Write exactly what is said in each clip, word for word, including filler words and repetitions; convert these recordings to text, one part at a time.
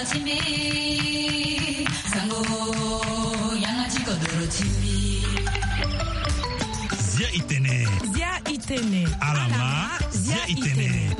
Zia itene. Zia itene. Alama, zia itene.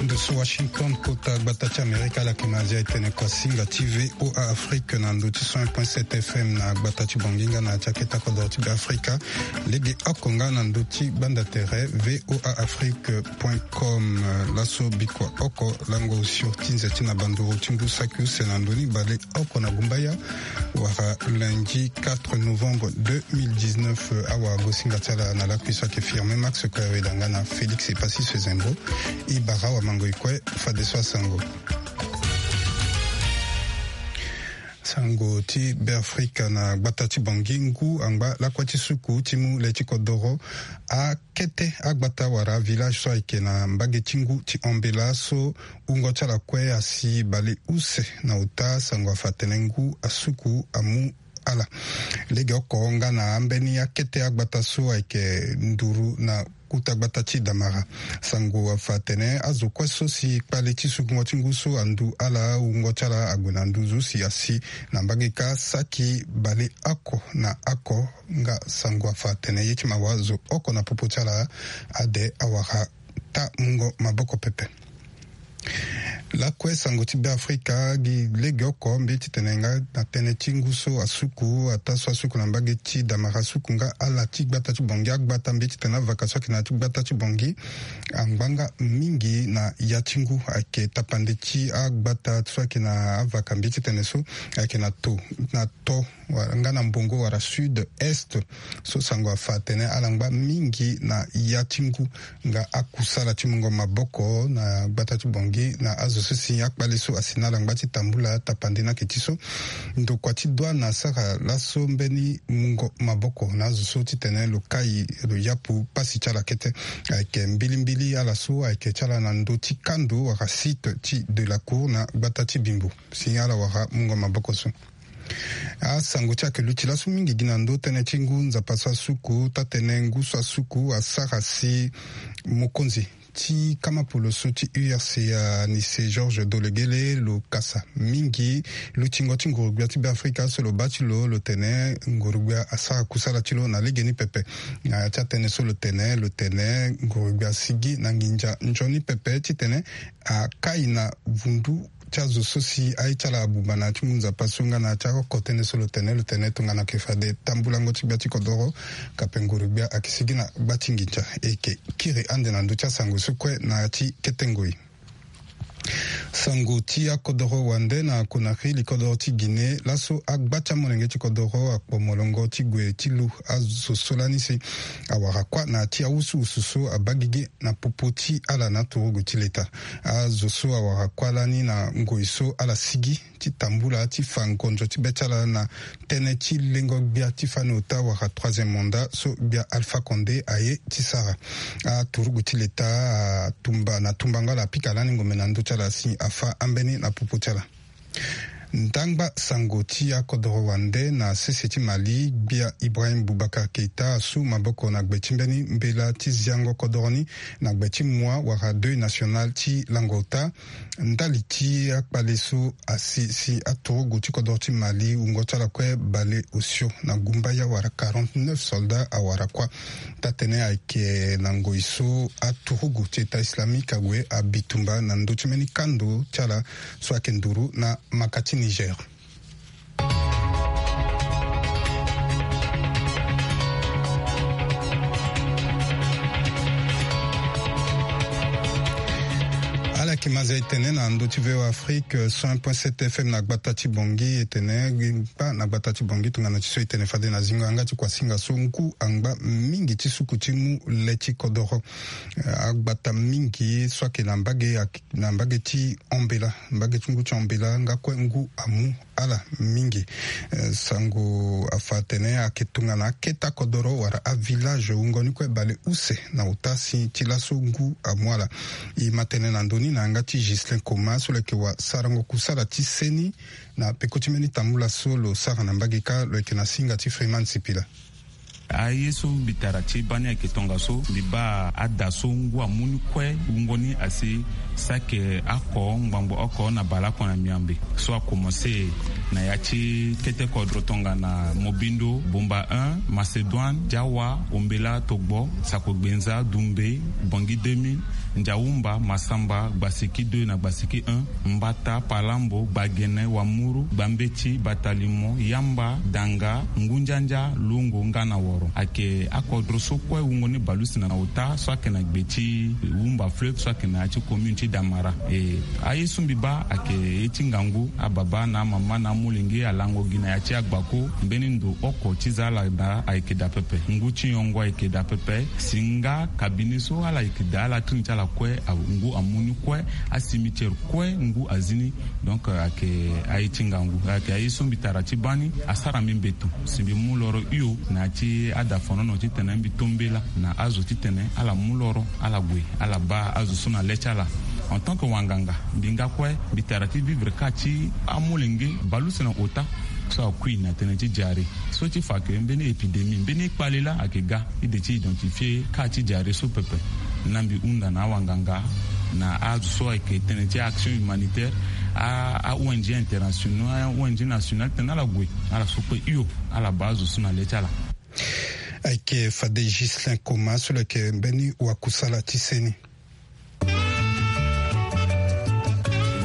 Ndo so Washington, kota gbata ti Amerika, ala yeke na zia itene kuasinga ti V O A Afrique na ndo ti cent un point sept F M na gbata ti Bangui nga na ya ti akete kodoro ti Beafrika. Lege oko nga na ndo ti gbanda tere V O A Afrique point com. Laso bikua oko lango osio ti nze ti na banduru ti ngu saki use na ndo ni bale oko na gumbaya wala lundi quatre novembre deux mille dix-neuf. Awagosinga ti ala na lakui so ayeke Firmin Max Koyaweda nga na Félix Epassi Sezembo. E bara awamango e kue fadeso asango. Sango ti Beafrika na gbata ti Bangui. Ngu angba lakue ti suku ti mu le ti kodoro, akete agbata wala avillage so ayeke na mbage ti ngu ti Ambela so wungo ti ala kue asi bale use na ota. Sango afa atene ngu asuku amu ala. Lege oko nga na ambeni akete agbata so ayeke nduru na kuta gbata ti Damara. Sango afa atene azo kue so si kpale ti sukungo ti ngu so andu ala, wungo ti ala ague na nduzu si asi na mbage kâ saki bale oko na oko. Nga sango afa atene ye ti mawa zo oko na popo ti ala ade awara ta mungo maboko pepe. Lakue sango ti Beafrika gi lege oko mbi ye titene nga na tënë ti ngu so asuku, ataa so asuku na mbage ti Damara asuku nga ala ti gbata ti Bangui. Agbata mbi ye titene avaka so ayeke na ya ti gbata ti Bangui angba nga mingi na ya ti ngu. Ayeke tapande ti agbata so ayeke na avaka mbi ye titene so ayeke na to na to wala nga na mbongo wala sud est. So sango afa atene ala ngba mingi na ya ti ngu nga akusala ti mungo maboko na gbata ti Bangui na azo so si akpale so asi na ala ngba ti tambula tapande ni ayeke ti so ndokua ti douane asara laso mbeni mungo maboko na azo so titene lo kai lo yapu pasi ti ala kete. Ayeke mbilimbili ala so ayeke ti ala na ndö ti kando wala site ti de la cour na gbata ti Bimbo si ala wara mungo maboko so. Asango ti ayeke luti laso mingi gi na ndö tënë ti ngu Nzapa so asuku, taa-tënë ngu so asuku asara si mokonzi ti kama polo so ti U R C A ni se Georges Dologuélé lo kasa mingi lutingo ti nguru-gbia ti Beafrika so lo baa ti lo, lo tene nguru-gbia asara kusala ti lo na legeni pepe. Na ya ti atënë so lo tene, lo tene nguru-gbia asigi na nginza nzoni pepe titene akai na vundu ti azo so si aye ti ala abuba na ya ti ngu Nzapa so nga na ya ti aoko tënë so lo tene, lo tene tongana ayeke fade tambulango ti gbia ti kodoro, kape nguru-gbia ayeke sigi na gba ti nginza. E yeke kiri ande na ndö ti asango so kue na ya ti kete ngoi. Sango ti akodoro wande na Conakry, li kodoro ti Guinée, laso agba ti amolenge ti kodoro akpo molongo ti gue ti lu azo so lani si awara kuâ na ya ti awusuwusu so abaa gigi na popo ti ala na aturugu ti leta. Azo so awara kuâ lani na ngoi so ala sigi ti tambula ti fa ngonzo ti be ti ala na tënë ti lengo gbia ti fani ota wala troisième mandat so gbia Alpha Condé aye ti sara. Aturugu ti leta atumba na tumbango ala apika lani ngombe na ndö ti ala si afa ambeni na popo ti ala. Ndangba sango ti akodoro wande na sese ti Mali, gbia Ibrahim Boubacar Keita asu maboko na gbe ti mbeni mbela ti ziango kodoro ni na gbe ti mua wala deuil national ti lango ota. Ndali ti akpale so asi si aturugu ti kodoro ti Mali wungo ti ala kue bale osio na gumbaya wala quarante-neuf soldats awara kuâ. Taa-tënë ayeke na ngoi so aturugu ti État islamique ague abi tumba na ndö ti mbeni kando ti ala so ayeke nduru na maka ti Niger. Ala yeke ma zia e tene na ndö ti V O A Afrique, cent un point sept F M na gbata ti Bangui, e tene gba na gbata ti Bangui tongana ti so e tene fade na zingo yanga ti kuasinga so ngu angba mingi ti suku ti mu le ti kodoro. Eh, agbata mingi so ayeke na mbage, na mbage ti Ambela, mbage ti ngu ti Ambela nga kue ngu amu ala mingi. Eh, sango afa atene ayeke tongana akete akodoro wala avillage wungo ni kue bale use na ota si ti laso ngu amu ala. E ma tene na ndö ni na yanga ti Ghislain Koma so lo yeke wasarango kusala ti seni na peko ti mbeni tambula so lo sara na mbage kâ, lo yeke na singa ti Freeman Sipila. Aye so mbi tara ti bani ayeke tongaso, mbi baa ada so ngu amu ni kue wungo ni asi saki oko ngbangbo oko na baleoko na miambe so akomanse na ya ti kete kodro tongana Mobindo, Bumba un, Macédoine, Diawa, Ombela, Togbo, Sako Gbenza, Dumbe, Bangui deux mille, Ndiaoumba, Massamba, Gbasiki deux na Gbasiki un, Mbata, Palambo, Gbagene, Wamuru, Gbambeti, Batalimo, Yamba, Danga, Ngundiandia, Longo nga na Woro. Ayeke akodro so kue wungo ni baleuse na ota so ayeke na gbe ti Wumba Fleuve so ayeke na ya ti commune ti Damara. E, aye so mbi baa ayeke ye ti ngangu, ababa na amama na amolenge alango gi na ya ti agbako. Mbeni ndo oko ti za ala daa ayeke daa pepe. Ngu ti nyongo ayeke daa pepe. Si nga cabinet so ala yeke daa ala tini ti ala kue, a- ngu amu ni kue, acimetière kue ngu azi ni. Donc, euh, ayeke aye ti ngangu, ayeke aye so mbi tara ti baa ni asara mbi mbeto. Si mbi mu loro hio na ya ti ada fonono titene mbi to mbela na azo titene ala mu loro, ala gue, ala baa azo so na le ti ala. En tant que wanganga, mbi nga kue mbi tara ti vivre kâ ti amolenge baleuse na ota so akui na tënë ti diarrhée. So ti fa ke mbeni épidémie, mbeni kpale laa ayeke ga, i de ti identifier kâ ti diarrhée so pepe. Na mbi hunda na awanganga, na azo so ayeke tënë ti action humanitaire, a, a O N G international, a O N G national, titene ala gue, ala so kue hio, ala baa azo so na le ti ala. Ayeke fade Ghislain Koma so lo yeke mbeni wakusala ti seni. E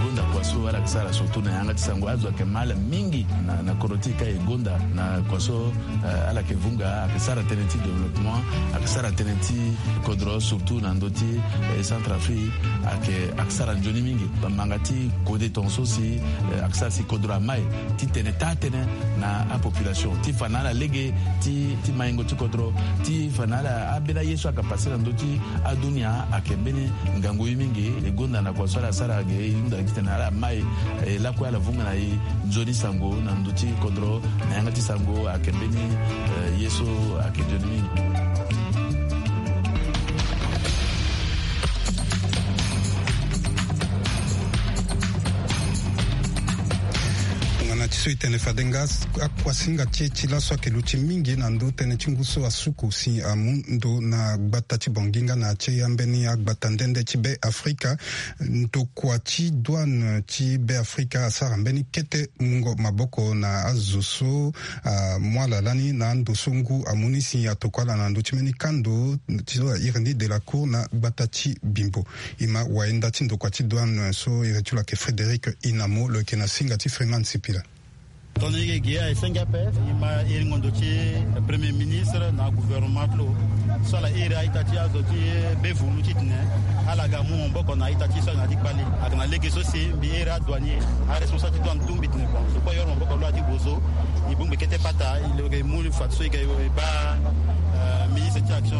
gonda kua so ala yeke sara surtout na yanga ti sango, azo ayeke mal mingi na, na kodro ti e ka e gonda na kua so, eh, ala yeke vunga, ayeke sara tënë ti développement, ayeke sara tënë ti kodro surtout na ndö ti, eh, Centrafrique, ayeke, ayeke sara nzoni mingi. Bamanga ti kode tongaso si, eh, ayeke sara si kodro amai titene taa tënë na apopulation ti fa na ala lege ti, ti maingo ti kodro, ti fa na ala ambeni aye so ayeke passe na ndö ti adunia. Ayeke mbeni ngangu ye mingi. E gonda na kua so ala sara ge, e hunda titene ala mai, eh, lakue ala vunga na e nzoni sango na ndö ti kodro na yanga ti sango. Ayeke mbeni, eh, ye so ayeke nzoni mingi. Tongana ti so e tene fade nga, akuasinga ti e ti laso ayeke luti mingi na ndö tënë ti ngu so asuku si amu ndo na gbata ti Bangui nga na ya ti ambeni agbata nde nde ti Be Afrika. Ndokua ti douane ti Be Afrika asara mbeni kete mungo maboko na azo so amu ala lani na ando so ngu amu ni si atokua ala na ndö ti mbeni kando ti so a iri ni Delacour na gbata ti Bimbo. E ma wayenda ti ndokua ti douane so iri ti lo ayeke Frédéric Inamo, lo yeke na singa ti Freeman Sipila. Tongana e ge e senge ape, e ma iri ngondo ti Premier ministre na gouvernement ti lo so ala iri a-ita ti azo ti Bevulu titene ala ga mu maboko na a-ita ti so ayeke na ya ti kpale. Ayeke na lege so si mbi iri adouanier, aresponsable ti douane atu mbi tene bon, so kue e yoro maboko lo na ya ti bozo. E bongbi kete pata, e lo yeke mu fade so e ga e baa, euh, ministre ti action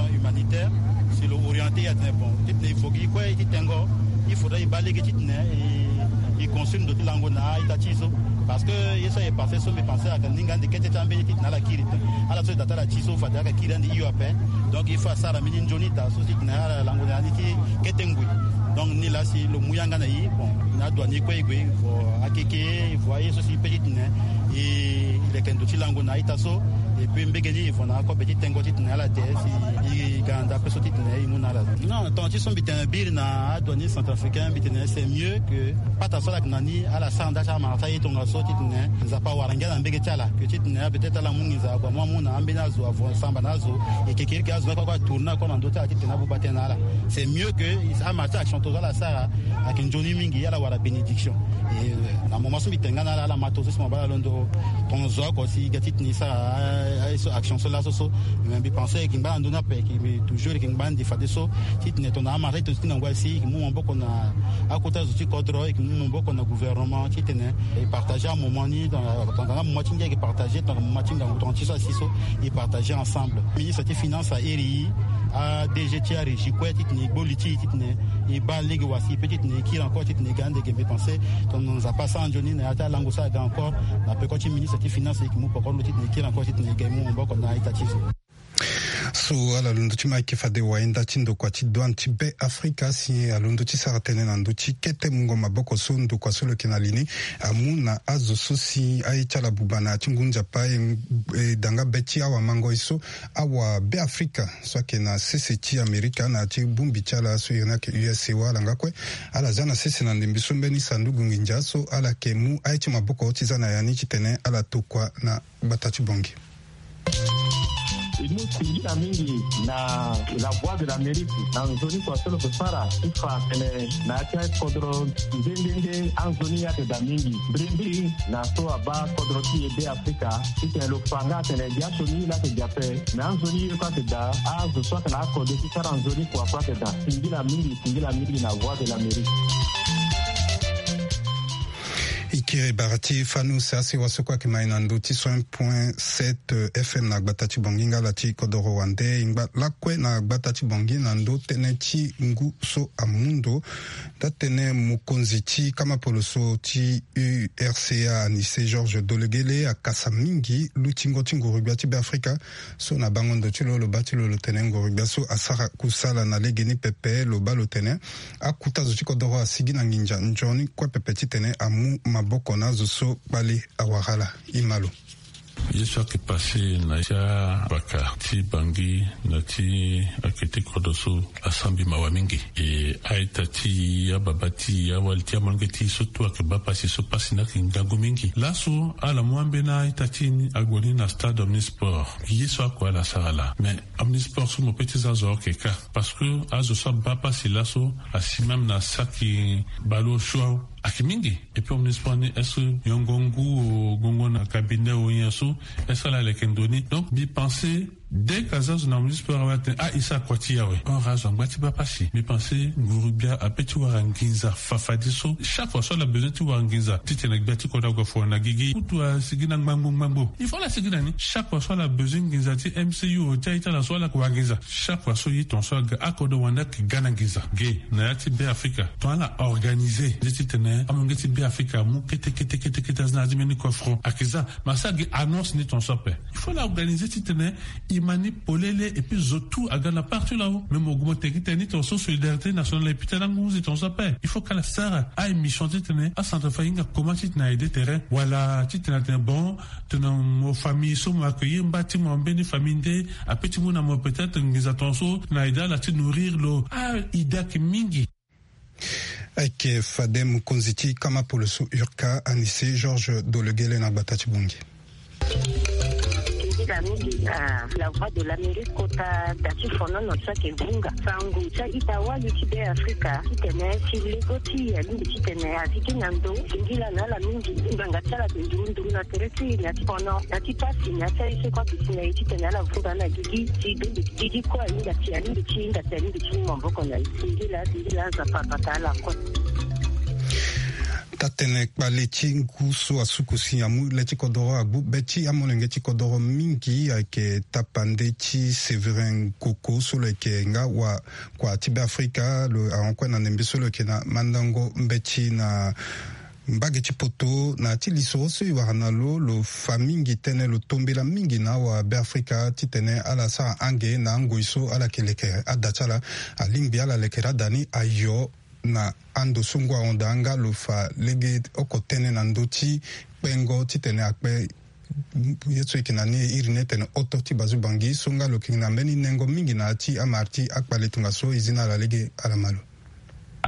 humanitaire si lo orienter e atene bon, titene e vo gi kue ti tengo, il faudrait e baa lege titene e, e construire ndo ti lango na a-ita ti e so. Parce que ye so aye passe so mbi pense ayeke ninga ande kete ti ambeni titene ala kiri. Ala so e da ti ala ti so fade ala kiri ande hio ape. Donc il faut asara mbeni nzoni daa so titene ala lango na ya ni ti kete ngoi. Donc ni laa si lo mu yanga na e, bon, na adouanier kue e gue, e vo akeke, e vo aye so si e pe titene e leke ndo ti lango na a-ita so. Et puis mbege ni e vo na akobe ti tengo titene ala te si e ga na ndape so titene e mu na ala. Non, tongana ti so mbi tene biri na adouanier centrafricain, mbi tene c'est mieux que pata so ala yeke na ni ala sara nda ti amara ti aye tongaso titene Nzapa awara ngia na mbege ti ala, que titene peut-être ala mu nginza ague amu amu na ambeni azo, avo samba na azo. E kekereke azo ni kue atourner encore na ndö ti ala titene abuba tënë na ala. C'est mieux que amara ti action tongaso ala sara ayeke nzoni mingi, ala wara bénédiction. Et, euh, na moment so mbi tene nga na ala, ala ma tongaso si mo baa ala londo tongaso oko si e ga titene e sara, ah, ah, so action so laso so. Mais mbi pense e yeke ngba na ndö ni ape, e yeke toujours e yeke ngba ande fadeso titene tongana amara ti e to ti na ngoi asi e yeke mu maboko na akota zo ti kodro, e yeke mu maboko na gouvernement titene e partager amoment ni, tongana amoment ti ngia e yeke partager, tongana amoment ti ngangu tongana ti so asi so e partager ensemble. Ministre ti finance a iri e, a D G ti arégie kue titene e gbo li ti e titene e baa lege wasi e pe titene e kiri encore titene e ga ande ge. Mbi pense tongana Nzapa asara nzoni na ya ti alango so aga encore na peko ti ministre ti finance e yeke mu peko ti lo titene e kiri encore titene e ga e mu maboko na a-ita ti e so. So ala londo ti ma eke fade wainda ti ndokua ti douane ti be afrika si alondo ti sara tënë na ndö ti kete mungo maboko so ndokua so lo yeke na li ni amu na azo so si aye ti ala buba na ya ti ngu nzapa e, e da nga be ti awamangoi so awa be afrika so ayeke na sese ti amerika na ya ti bongbi ti ala so iri ni ayeke U S A wala nga kue. Ala za na sese na ndembe so mbeni sanduku nginza so ala yeke mu aye ti maboko ti za na ya ni titene ala tokua na gbata ti Bangui. E mu singila mingi na La Voix de l'Amérique na nzoni kua so lo yeke sara ti fa tene na ya ti akodro nde nde nde anzoni ayeke daa mingi mbirimbiri na so abaa kodro ti e be afrika titene lo fa nga atene biasioni la ayeke daa ape. Me anzoni ye kue ayeke daa azo so ayeke na akode ti sara nzoni kua kue ayeke daa. Singila mingi, singila mingi na Voix de l'Amérique. Ikiri bara ti fanu se asewa so kue ayeke mai na ndö ti cent point sept F M na gbata ti Bangui nga ala ti kodoro wande e ngba lakue na gbata ti Bangui na ndö tënë ti ngu so amu ndo. Nda tënë mokonzi ti kamapolo so ti U R C A anise Georges Dolegele akasa mingi lutingo ti nguru-gbia ti be afrika. So na bango ndo ti lo lo baa ti lo lo tene nguru-gbia so asara kusala na lege ni pepe lo baa lo tene akuta zo ti kodoro asigi na nginza nzoni kue pepe titene amu maboko na azo so kpale awara ala. Ima lo. Ye so ayeke pase na ya ti abaka ti Bangui na ti akete kodro so asara mbi mawa mingi. E a-ita ti e, ababa ti e, awali ti e, amolenge ti e so tout ayeke baa pasi so pasi ni ayeke ngangu mingi. Laso ala mu ambeni a-ita ti e ni ague ni na stade Omnisport. Ye so akue ala sara laa mais Omnisport so mo peut ti za zo ayeke kâ. Parce que azo so abaa pasi laso asi même na saki ballon au choix ayeke mingi. Et puis Omnisport ni est-ce que yongo ngu o gongo na cabinet o nyen so est-ce que ala leke ndo ni? Donc mbi pense dès que aza zo na Omnisport awe atene ah e sara kua ti e awe. Or azo angba ti baa pasi. Mbi pense nguru-gbia apeut ti wara nginza fafadeso. Chaque fois so ala besoin ti wara nginza titene gbia ti kodro ague foro na gigi kutu asigi na ngbangbo ngbangbo. Il faut ala sigi na ni chaque fois so ala besoin nginza ti M C U o ti aye ti ala so ala yeke wara nginza. Chaque fois so ye tongaso aga akodro wande ayeke ga na nginza ge na ya ti be afrika. Tongana ala organise nde titene amolenge ti be afrika amu kete kete kete kete aza na ya ti mbeni kofro ayeke za. Me asi agi annonce ni tongaso ape. Il faut ala organise titene e ma ni polele et puis zo tout aga na partout là-haut. Mais mo gue mo tene titene ni tongaso solidarité nationale e pita na ngu nze tongaso ape. Il faut kala sara a-émission titene acentrafricain ahinga comment titene a aide terrain wala titene atene bon tena mo famille so mo accueillir mba ti mo mbeni famille nde apeut ti mu na mo peut-être nginza tongaso na aide ala ti nourrir lo. Ah idée ayeke mingi. Ayeke fade mokonzi ti kamapolo so U R C A anise Georges Dolegele na gbata ti Bangui. Singila mingi na La Voix de l'Amérique kota da ti fonono so ayeke vunga sango ti a-ita wali ti be afrika titene si lego ti e alingbi titene asigi na ndo. Singila na ala mingi. Ngbanga ti ala ayeke nduru nduru na tere ti e na ya ti fono na ya ti pasi na ya ti aye so kue ayeke si na e titene ala vunga na gigi si gigi kue ahinga ti alingbi ti hinga ti alingbi ti mu maboko na e. Singila singila Nzapa abata ala kue. Taa-tënë kpale ti ngu so asuku si amu le ti kodoro agbu be ti amolenge ti kodoro mingi ayeke tapande ti Séverin Koko so lo yeke nga wakua ti be afrika lo ahon kue na ndembe so lo yeke na mandango mbeti na mbage ti poto na ya ti lisoro so e wara na lo lo fa mingi tënë lo tombela mingi na awabe afrika titene ala sara ange na angoi so ala yeke lekere ada ti ala. Alingbi ala lekere ada ni ayo na ando so ngu ahon daa nga lo fa lege oko tënë na ndö ti kpengo titene akpe ye so e yeke na ni e iri ni etene oto ti bazu bangi so nga lo yeke na mbeni nengo mingi na ya ti amara ti akpale tongaso e zi na ala lege ala ma lo.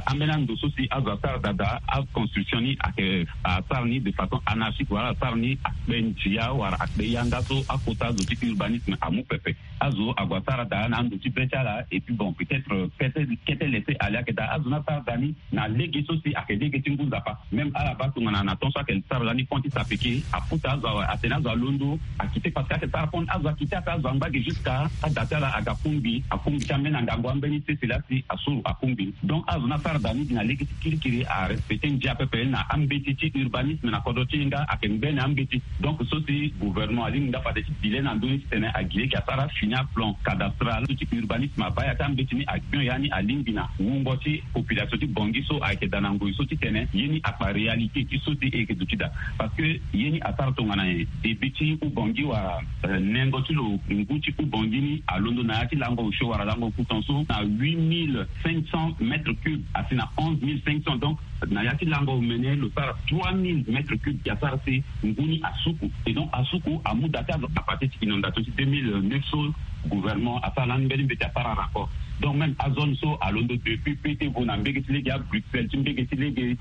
Ambeni ando so si azo asara daa daa aconstruction ni ayeke asara ni de façon anarchique wala asara ni akpe ndia wala akpe yanga so akota azo ti urbanisme amu pepe. Azo ague asara daa na ando ti be ti ala et puis bon peut-être kete kete laisser aller ayeke daa azo ni asara daa ni na lege so si ayeke lege ti ngu nzapa. Même ala baa tongana na temps so ayeke sara lani pont ti sapeke akota azo awe atene azo alondo akite parce que ayeke sara pont azo akite aka azo angba ge jusqu'à ada ti ala aga kungbi akungbi ti ambeni angangu ambeni sese laa si asuru akungbi donc azo ni. asara daa ni gi na lege ti kirikiri, arespecte ndia pepe na ambeti ti urbanisme na kodro ti e nga ayeke ngbene ambeti. Donc so si gouvernement alingbi nga fade ti bi le na ndö ni titene agi lege asara fini aplan cadastral so ti urbanisme abaa ya ti ambeti ni, agbio ya ni alingbi na wungo ti population ti Bangui so ayeke daa na ngoi so titene ye ni akpa réalité ti so si e yeke duti daa. Parce que ye ni asara tongana nyen? Débit ti Oubangui wala, euh, nengo ti lo ngu ti Oubangui ni alondo na ya ti lango osio wala lango kutan so na huit mille cinq cents mètres cubes asi na onze mille cinq cents. Donc na ya ti lango omene lo sara trois mille mètres cubes, ya sara si ngu ni asuku. Et donc asuku amu daa ti azo à partir ti inondation ti deux mille neuf so gouvernement asara lani mbeni mbeti asara rapport. Donc même azone so alondo depuis P T vo na mbege ti lege a Bruxelles ti mbege ti lege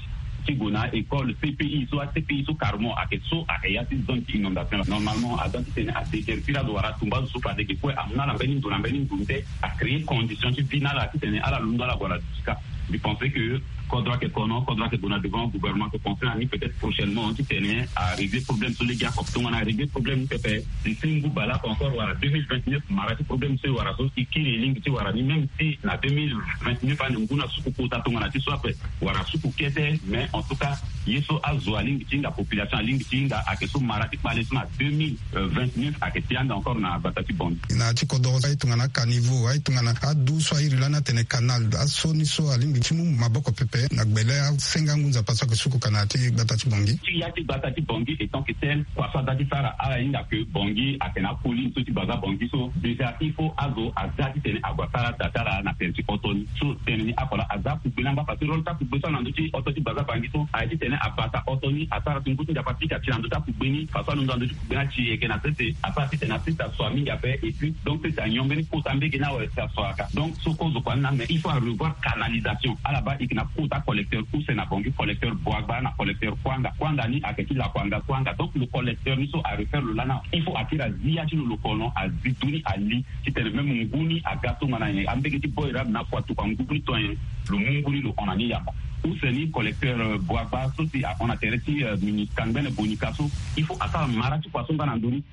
ti gue na école C P I so, a C P I so carrément ayeke so ayeke ya ti zone ti inondation. Normalement aza titene adéguerpir azo wala atumba azo so fade ge kue amu na ala mbeni ndo na mbeni ndo nde acréer condition ti vie na ala titene ala londo ala gue na duti kâ. Mbi pense que kodro ayeke kono, kodro ayeke gue na devant, gouvernement ayeke pense na ni peut-être prochainement titene arégler problème so lege oko. Tongana arégler problème ni pepe d'ici ngu baleoko encore wala deux mille vingt-neuf mara ti problème so e wara so e kiri e lingbi ti wara ni, même si na deux mille vingt-neuf ane ngu ni asuku kota tongana ti so ape wala asuku kete, mais en tout cas ye so azo alingbi ti hinga, population alingbi ti hinga ayeke so mara ti kpale so na deux mille vingt-neuf ayeke ti ande encore na gbata ti Bangui. Na ya ti kodoro so aye tongana acaniveau, aye tongana adu so a iri lani atene canal, aso ni so alingbi ti mu maboko pepe na gbele asenga ngu nzapa so ayeke suku ka na ya ti gbata ti Bangui. Ti ya ti gbata ti Bangui étant que tel, kua so aza ti sara ala hinga que Bangui ayeke na acolline so ti baza Bangui so déjà il faut azo aza titene ague asara da ti ala na tere ti oto ni. So tene ni oko laa aza kugbe ni angba parce que rôle ti akugbe so ana ndö ti oto ti baza Bangui so aye titene abata oto ni asara si ngu ti nzapa ti ka ti na ndö ti akugbe ni. Façon alondo na ndö ti kugbe ni ati e yeke na sese asara titene asese aso mingi ape. Et puis donc sese anyon mbeni kota mbege ni awe si aso aka. Donc so kozo kua ni na mais il faut arevoir canalisation. Ala baa e yeke na kota collecteur use na Bangui, collecteur Boagba na collecteur Kuanga. Kuanga ni ayeke ti Lakuanga Kuanga. Donc lo collecteur ni so arefaire lo lani awe, il faut akiri azi ya ti lo lo kono azi du ni ali titene même ngu ni aga tongana nyen, ambege ti boy rabe na afu atukua ngu ni to nyen, lo mu ngu ni lo hon na ni yamba. Use ni collecteur, euh, Boagba so si ahon na tere ti, euh, Minica ngbene Bonica so, il faut asara mara ti kua so nga na ndö ni.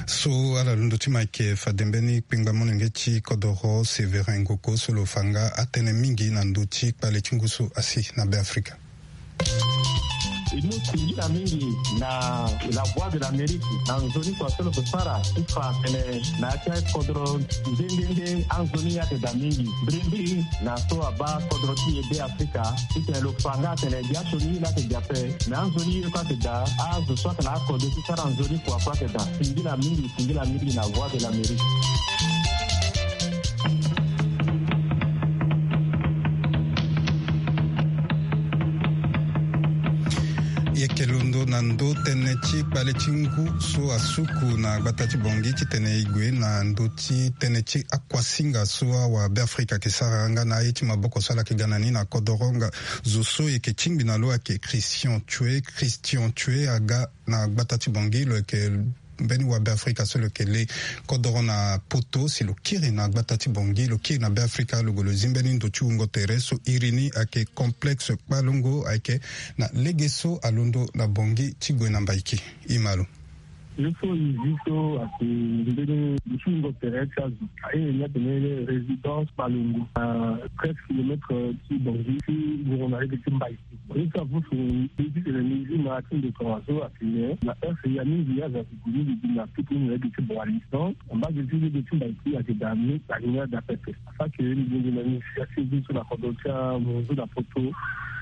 So ala londo ti mo ayeke fade mbeni kpengba molenge ti kodoro Sévérin Ngoko so lo fa nga atënë mingi na ndö ti kpale ti ngu so asi na Beafrika. E mu singila mingi na La Voix de l'Amérique na nzoni kua so lo yeke sara ti fa atene na ya ti akodro nde nde nde anzoni ye ayeke daa mingi. Mbirimbiri na so abaa kodro ti e Beafrika titene lo fa nga atene biasioni ye laa ayeke daa ape. Me anzoni ye kue ayeke daa, azo so ayeke na akode ti sara nzoni kua kue ayeke daa. Singila mingi, singila mingi na Voix de l'Amérique. E yeke londo na ndö tënë ti kpale ti ngu so asuku na gbata ti Bangui titene e gue na ndö ti tënë ti akuasinga so awa Beafrika ayeke sara nga na aye ti maboko so ala yeke ga na ni na kodoro nga. Zo so e yeke tingbi na lo ayeke Christian Tchoué. Christian Tchoué aga na gbata ti Bangui, lo yeke mbeni wa Beafrika so lo yeke le kodoro na poto si lo kiri na gbata ti Bangui, lo kiri na Beafrika, lo gue lo zi mbeni ndo ti wungo tere so iri ni ayeke Complexe Kpalongo, ayeke na lege so alondo na Bangui ti gue na Mbaiki. E ma lo. Ye so e zi so ayeke mbeni ndo ti wungo tere ti azo. Aye ni atene résidence Kpalongo, na treize kilomètres ti Bangui ti wungo na lege ti Mbaiki. Ye so avusu mbi titene mbi zi mara ti ndo tongaso atene na heure ya mingi azo ayeke gue ni mbi gi na tutu ni na lege ti Boali. Donc na mbage ti lege ti Mbaiki ayeke daa ni, na ni ni ada pepe. Afake mbi gi na initiative so na kodro ti amunzu na poto,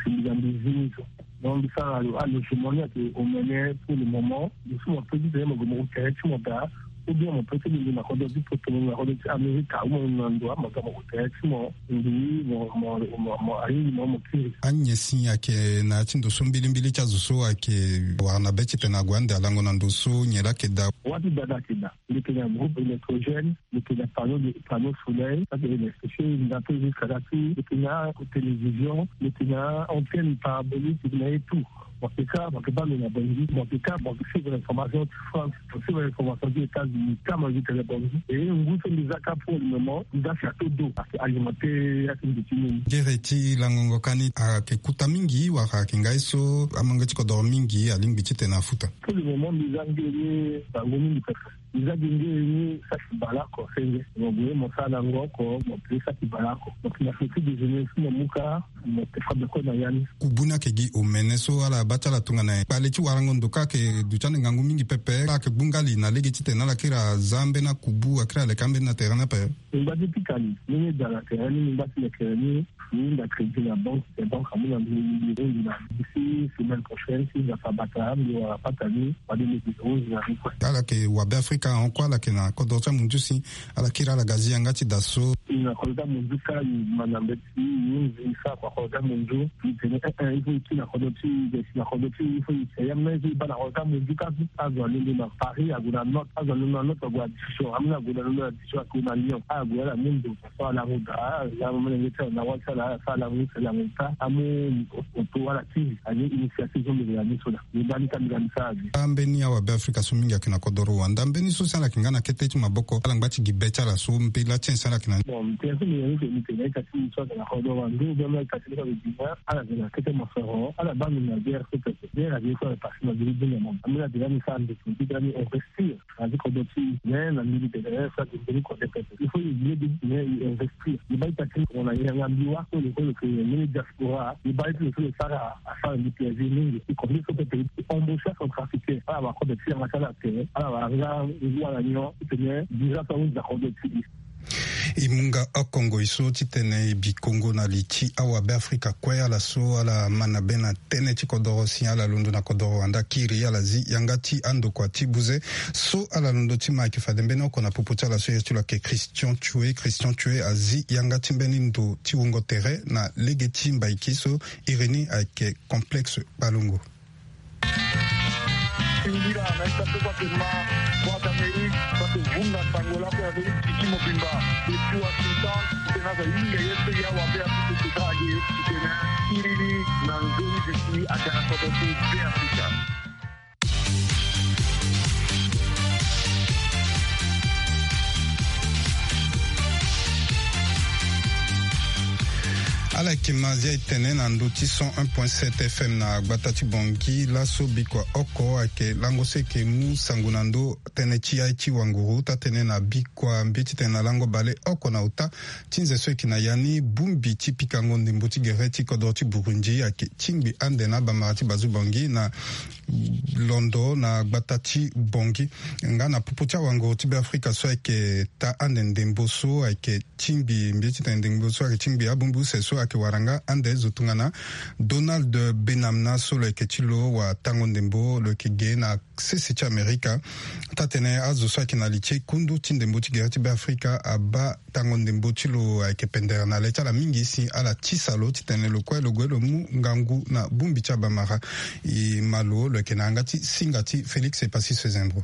mbi ga mbi zi ni so. Donc mbi sara alogement ni ayeke omene pour le moment. Mbi so mo peut titene mo gue mo tere ti mo daa. Ou bien mo peut ti londo na kodro ti poto, mo londo na kodro ti Amerika, ou mo londo na ndo, mo ga mo gue tere ti mo. Mbi mo mo mo mo ahingi mo mo kiri. Anyen si ayeke na ya ti ndo so mbilimbili ti azo so ayeke wara na be titene ague ande alango na ndo so nyen laa ayeke daa. Wâ ti daa daa ayeke daa. Mbi yeke na groupe électrogène, mbi yeke na panneau de, panneau solaire, ça c'est électrifié, mbi na peu jusqu'à là ti, mbi yeke na télévision, mbi yeke na antenne parabolique, mbi yeke na ye tout. Mo yeke ka, mo yeke baa lo na Bangui, mo yeke ka, mo yeke suivre information ti France, mo suivre information ti États-Unis, ka mo yeke tene Bangui. E ngu so mbi za ka pour le moment, mbi za château d'eau, ayeke alimenter ya ti mbi ti nini. Gere ti langongo ka ni ayeke kuta mingi wala ayeke ngai so amolenge ti kodoro mingi alingbi titene afuta? Pour le moment, mbi za nge ye bango mingi pepe. Mbi za gi nge ye ni saki baleoko senge. Mo gue mo sara lango oko, mo pe saki baleoko. Mo yeke na petit déjeuner so mo mu ka, Mo te fa beko na ya ni. Kubu ni ayeke gi omene so ala baa ti ala tongana nyen? Kpale ti warango ndo kâ ayeke duti ande ngangu mingi pepe. Ala yeke gbu nga li na lege titene ala kiri aza ambeni akubu, akiri aleke ambeni na tere ni ape. Mingba ti pika li, ni ni da na tere ni, mingba ti lekere ni. Ni hinga crédit na banque, te banque amu na mbi, mbi hinga na mbi si semaine prochaine, si Nzapa abata, mbi wara pata ni, wala mbi hinga na mbi kue. Ala yeke wa Beafrika ahon kue, ala yeke na kodro ti amunzu si ala kiri ala ga zi yanga ti da so. I na kodro ti amunzu kâ, i ma na mbeti, i hunzi, i sara kua kodro ti amunzu, i tene, eh, eh, il faut i kiri na kodro ti i, i si na kodro ti i, il faut i si ya, mais i baa na kodro ti amunzu kâ, azo alondo na Paris, ague na Nantes, azo alondo na Nantes, ague na Dijon, ameni ague na Dijon, ague na Lyon, ague ala mu ndo. Ala mu da, ala mu molenge ti ala na wâ ti ala, ala sara ala mu sele na mo ta, amu oto ala ti, ani initiative so mbi yeke na ni so na. Mbi baa ni ka mbi ga mbi sara ni. Ambeni awabe Afrika so mingi ayeke na kodoro wanda. Mbeni so si ala yeke nga na kete ti maboko, ala ngba ti gi be ti ala so, mbela ti nyen si ala yeke na ni? Bon, mbi tene so mbi yeke ni tene, mbi tene ita ti mbi so ayeke na kodoro wanda, ou bien mbi ita ti mbi so ayeke dunia, ala yeke na kete mosoro, ala baa mbi na guerre so pepe. Guerre ayeke so ayeke passé na mbi ti dunia mo. Ambeni atene mbi sara mbi, mbi tene mbi investir. Na ti kodro ti e, mais na mbi mbi tene, eh, so ayeke mbeni kodro pepe. Il faut e lege, mais e investir. E baa ita ti e, tongana e yanga mbi wâ so, lo so lo yeke mbeni diaspora, e baa ita ti lo so lo sara, asara mbi plaisir mingi. E combien so pepe e embaucher acentrafricain, ala wara kodro ti e yanga ti ala tere, ala wara nga ngu ala nyon, titene visa so ahunzi na kodro ti e. E mu nga oko ngoi so titene e bi kongo na li ti awabe Afrika kue, ala so ala ma na be na tënë ti kodoro si ala londo na kodoro wanda kiri, ala zi yanga ti andokua ti buze so ala londo ti ma. Ayeke fade mbeni oko na popo ti ala so ye ti lo ayeke Christian Tchoué. Christian Tchoué azi yanga ti mbeni ndo ti wungo tere na lege ti mbaiki so iri ni ayeke Complexe Kpalongo. Singila na ita so bake ma Voix d'Amérique, bake vunga sango lako ya beri titi mobimba. Depuis Washington, tena za yinga ye pe ya wa be ya tutu tuta age, tena iriri na nzoni zeti ake na kodo ti be Afrika. Ala yeke ma zia e tene na ndö ti cent un point sept F M na gbata ti Bangui. Laso bikua oko ayeke lango so e yeke mu sango na ndö tënë ti aye ti wanguru, taa-tënë na bikua mbi ti tene na lango bale oko na ota ti nze so e yeke na ya ni, bongbi ti pikango ndembo ti gere ti kodro ti Burundi ayeke tingbi ande na abamara ti Bazu Bangui na londo na gbata ti Bangui. Nga na popo ti awanguru ti Beafrika so ayeke taa ande ndembo so ayeke tingbi mbi ti tene ndembo so ayeke tingbi abongbi use so ayeke wara nga ande zo tongana Donald Benamna so lo yeke ti lo watango ndembo, lo yeke ge na sese ti Amerika. Taa-tënë azo so ayeke na li ti kundu ti ndembo ti gere ti Beafrika abaa tango ndembo ti lo ayeke pendere na le ti ala mingi si ala tisa lo titene lo kue lo gue lo mu ngangu na bongbi ti abamara. E ma lo, lo yeke na yanga ti singa ti Félix Epassi Sezembro.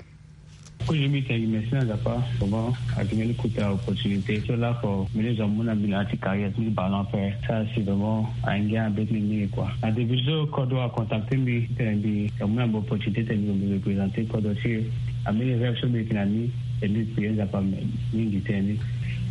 Kozo mbi tene gi merci na Nzapa, vraiment, ayeke mbeni kota opportunité so lako mbeni zo amu na mbi na ya ti carrière ti ballon ape. Sara si vraiment ayeke nga na be ti mbi mingi quoi. Na début so kodro acontacté mbi titene mbi amu na mbi opportunité titene mbi représenté kodro ti e. Ambeni rêve so mbi yeke na ni, e mbi prier Nzapa mingi titene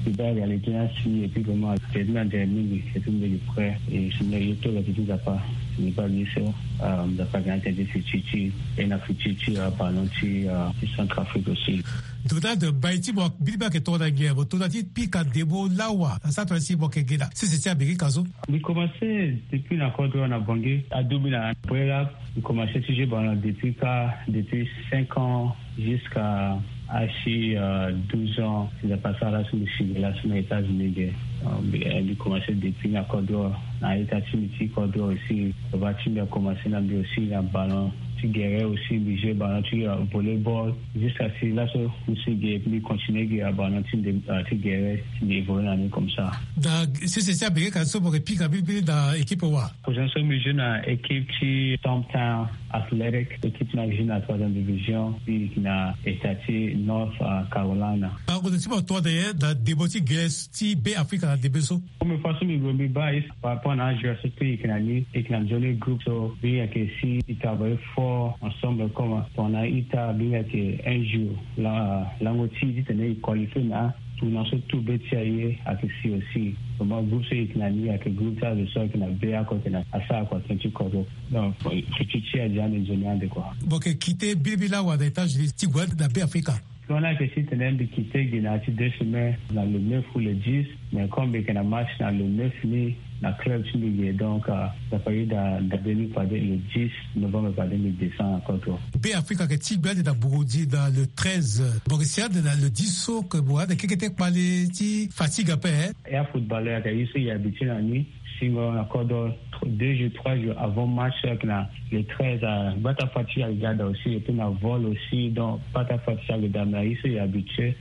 mbi baa réalité ni asi, et puis vraiment ayeke ti mbi na nzere mingi, et puis mbi yeke prêt. Et si mbi ye to ayeke ti Nzapa, mbi baa ye so, euh, Nzapa ayeke na tënë ti futur ti e, na futur ti, euh, ballon ti, euh, ti Centrafrique aussi. Donald, mbai ti mo biribi ayeke tongana nyen? Mo to na ti pika ndembo lawa na sara tongana si mo yeke ge na sese ti Amerika so. Mbi commencé depuis na kodro na Bangui, aduti mbi na Brera. Mbi commencé ti jouer ballon depuis kâ, depuis cinq ans jusqu'à asi, euh, douze ans. Si Nzapa asara laso mbi si ge laso na États-Unis ge. Euh, mbi, euh, mbi commencé depuis na kodro na ita ti mbi ti kodro aussi. Baba ti mbi acommence na mbi aussi na ballon ti gere aussi, mbi jouer ballon ti, euh, volleyball. Jusqu'à si laso mbi si ge, mbi continuer ge na ballon ti nde, euh, ti gere, mbi évoluer na ni comme ça. Na sese ti Amerika so mo yeke pika mbirimbiri na équipe wa? Position so mbi jouer na équipe ti Stumptown Athletic, équipe ni ayeke jouer na troisième division, mbi yeke na état ti North, euh, Carolina. Bango ti mo tongana nyen na ndembo ti gere ti Be Afrika na ndembe so? Première fois so mbi gue mbi baa ye par rapport na ajoueur so mbi yeke na ni, e yeke na nzoni groupe so mbi yeke si e travailler fort ensemble comme tongana ita mbi yeke un jour la, lango ti e titene e qualifier na tournoi so tout be ti aye ayeke si aussi. Vraiment groupe so e yeke na ni ayeke groupe ti azo so ayeke na be oko tena asara kua tënë ti kodro. Donc futur ti e adia ande nzoni ande quoi. Mo yeke quitté biribi lawa na États-Unis ti gue na Be Afrika? Plan ni ayeke titene mbi quitté ge na ya ti deux semaines, na le neuf ou le dix, mais comme mbi yeke na match na le neuf ni, Na club ti mbi ge, donc, euh, ça fait da, da deux mille, le dix novembre, pa deux mille deux cents encore, toi. Be Afrika ayeke tingbi ande na Burundi na le treize, Borussia na le dix so, ke mo ande keke ti kpale ti fatigue ape, hein. Ya footballeur ayeke ye so e habitué na ni, singo na kodro, deux jours, trois jours avant match, ayeke na le treize, ah, bata fatigue ayeke ga daa aussi, et puis na vol aussi, donc bata fatigue ayeke ga daa, mais ye so e habitué.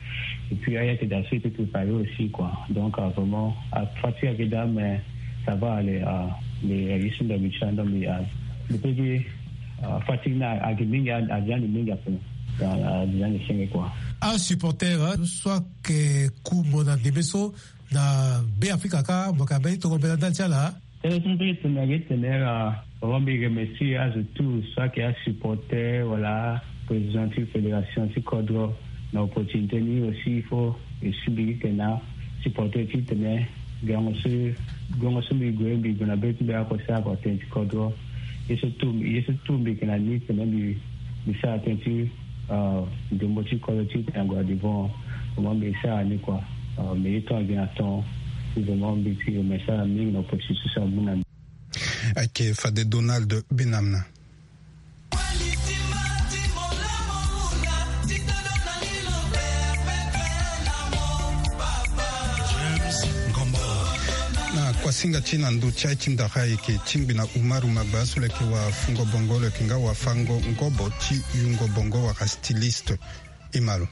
Et puis, ayeke daa so e peut préparer aussi, quoi. Donc, euh, vraiment, ah, fatigue ayeke daa, mais ça va aller, ah, mais, euh, ye so mbi habitué, donc, mbi, ah, mbi peut dire, ah, fatigue ni ayeke mingi, ah, ayeke ande mingi ape. Ah, ayeke ande senge, quoi. Asupporter, hein, so ayeke ku mo na ndembe so na Be Afrika kâ, mo yeke na mbeni tongana mbela ndali ti ala. Tënë so mbi tene ayeke tene, ah, vraiment mbi remercie azo tout so ayeke asupporter wala président ti fédération ti kodro. Na opportunité ni aussi, il faut e si mbi ti tene asupporter ti tene gango so, gango so mbi gue, mbi gue na be ti mbi oko sara tënë ti kodro. Ye so tout, ye so tout mbi yeke na ni tene mbi, mbi sara tënë ti, euh, ndembo ti kodro ti tene ague na devant. Vraiment mbi sara ni, quoi. Euh, mbi ye ton agi na ton. Vraiment mbi ti remercie ala mingi na opportunité so amu na mbi. Ayeke fade Donald Benamna. Na kuasinga ti na ndö ti aye ti ndara ayeke tingbi na Umaru Magba so lo yeke wafungo bongo, lo yeke nga wafango ngobo ti yungo bongo wala styliste. E ma lo.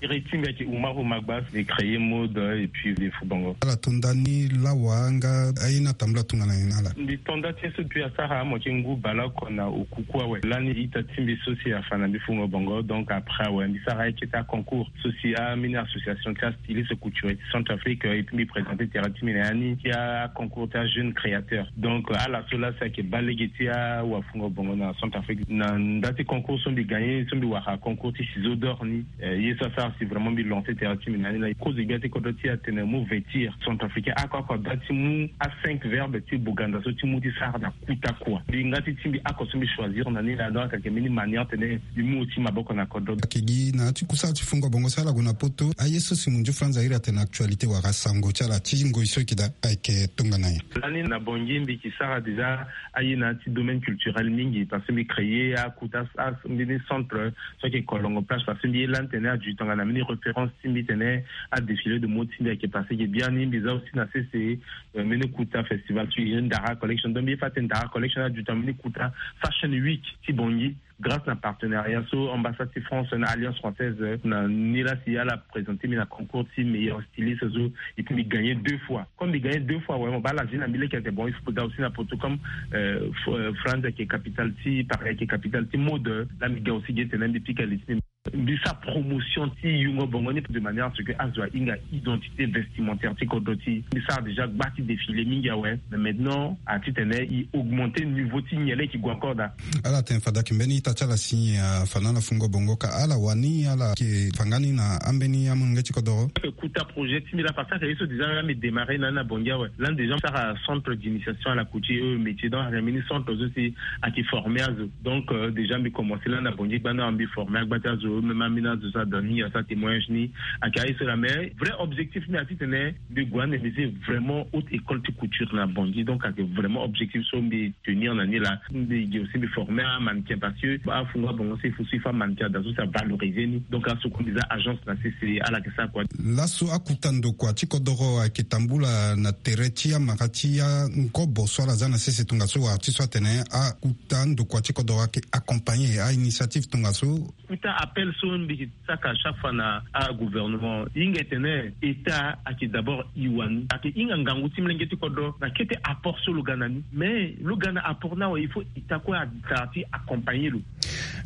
Iri ti mbi ayeke Umaru Magba, mbi créer mode et puis mbi fu bongo. Ala to nda ni lawa nga aye ni atambula tongana nyen na ala? Mbi to nda ti ye so depuis asara amo ti ngu baleoko na okuku awe. Lani ita ti mbi so si afa na mbi fungo bongo, donc après awe mbi sara aye kete aconcours so si ambeni association ti astyliste couturier ti Centrafrique, et puis mbi présenter tere ti mbi na ya ni ti aconcours ti ajeune créateur. Donc ala so laa si ayeke baa lege ti awafungo bongo na Centrafrique. Na nda ti concours so mbi gagner, so mbi wara concours ti ciseau d'or ni, eh, ye so asara si vraiment mbi lancer tere ti mbi na ni laa. Kozo gbia ti kodro ti atene mo vêtir centrafricain oko oko ada ti mu a cinq verbe ti Boganda so ti mu ti sara na kuta kua. Mbi nga ti ti mbi oko so mbi choisir na ni laa, donc ayeke mbeni manière tene mbi mu oti maboko na kodro. Ayeke gi na ya ti kusala ti fungo bongo so ala gue na poto, aye so Simon Diouf Franz Zaïre atene actualité wala sango ti ala ti ngoi so e yeke daa ayeke tongana nyen? Lani na Bangui mbi yeke sara déjà aye na ya ti domaine culturel mingi, parce que mbi créer akuta, a, mbeni centre so ayeke Kolongo Plage, parce que mbi ye lani tene aduit tongana mbeni référence ti mbi tene adéfilé de mode ti mbi ayeke passé ge biani. Mbi za aussi na sese, euh, mbeni kuta festival so e Ndara Collection. Donc mbi ye fa atene Ndara Collection aduit tongana mbeni kuta Fashion Week ti Bangui, grâce na partenariat so ambassade ti France na Alliance Française, euh, na ni laa si ala présenter mbi na concours ti meilleur styliste so, et puis mbi gagner deux fois. Comme mbi gagner deux fois, ouais, mo baa ala vie na mbi leke ete bon, il faut que aussi na poto comme, euh, F-, euh, Franz ayeke capitale ti, Paris ayeke capitale ti mode, euh, laa mbi ga aussi ge tene mbi pika li ti mbi. Mbi sara promotion ti yungo bongo ni de manière à ce que azo ahinga identité vestimentaire ti kodro ti. Mbi sara déjà gba ti défilé mingi awe, mais maintenant a ti tene e augmenter niveau ti nyen laa e yeke gue encore daa. Ala tene fade ayeke mbeni ita ti ala si afa na ala fungo bongo ka ala wani ala yeke fa nga ni na ambeni amolenge ti kodoro. Kuta projet ti mbi laa parce que ayeke ye so déjà laa mbi démarrer na ni na Bangui awe. Lani déjà mbi sara centre d'initiation à la couture et aux métiers, donc ayeke mbeni centre so si ayeke former azo. Donc, euh, déjà mbi commencer lani na Bangui gbani awe, mbi former agba ti azo, même ambeni azo so ada ni asara témoignage ni. Ayeke aye so laa, mais vrai objectif mbi a ti tene mbi gue ande mbi zi vraiment haute école ti couture na Bangui. Donc ayeke vraiment objectif so mbi tenir na ni laa. Mbi gi aussi mbi former amannequin parce que afungo abongo so il faut so il faut amannequin ada so si avaloriser ni. Donc aso kue mbi za agence na sese ala yeke sara kua. Laso akuta ndokua ti kodoro ayeke tambula na tere ti amara ti angobo so ala za na sese tongaso wala ti so atene akuta ndokua ti kodoro ayeke accompagner a-initiative tongaso. Kuta appel so mbi yeke saka chaque fois na agouvernement, e hinga e tene État ayeke d'abord e wani, ayeke hinga ngangu ti molenge ti kodro na kete apport so lo ga na ni. Mais lo ga na apport ni awe, il faut État kue asara ti accompagner lo.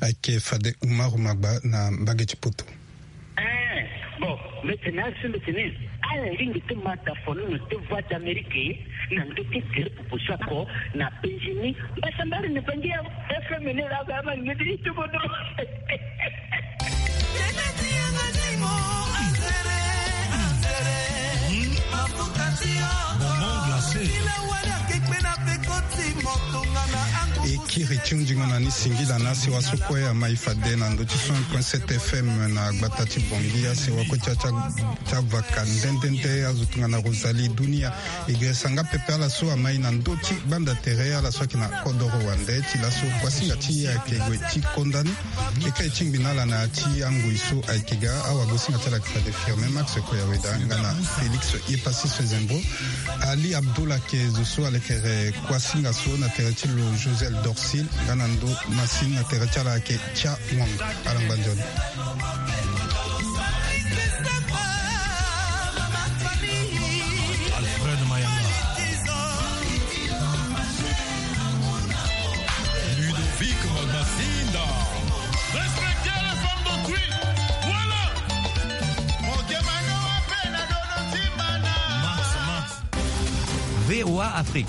Ayeke fade Umaru Magba na mbage ti poto. Eh, bon, mbi tene asi mbi tene ala lingbi ti ma da fono na ti Voix d'Amérique na ndö ti gere proposition ako na Benjamin Basambari na Bangi ya F M ni la ga ma ni ti bodo. Bonbon glacé. Kiri ti hunzingo na ni singila na asewa so kue amai fade na ndö ti cent point sept F M na gbata ti Bangui. Asewa kue ti a ti a ti avaka nde nde nde azo tongana Rosalie Dunia. E gere sanga pepe ala so amai na ndö ti gbanda tere ala so ayeke na kodoro wande ti laso kuasinga ti e ayeke gue ti konda ni. Keke e tingbi na ala na ya ti angoi so ayeke ga. Awagosinga ti ala ayeke fade Firmin Max Koyaweda nga na Félix Yepassis Zembo. Ali Abdoul ayeke zo so alekere kuasinga so na tere ti lo Josel Dorsil nga na ndö masini na tere ti ala ayeke Cha Wang. Ala ngba nzoni. Alfred Mayanga. Ludovic Magbasinda. Respectez les femmes d'autrui. Voilà. Max, Max. V O A Afrique.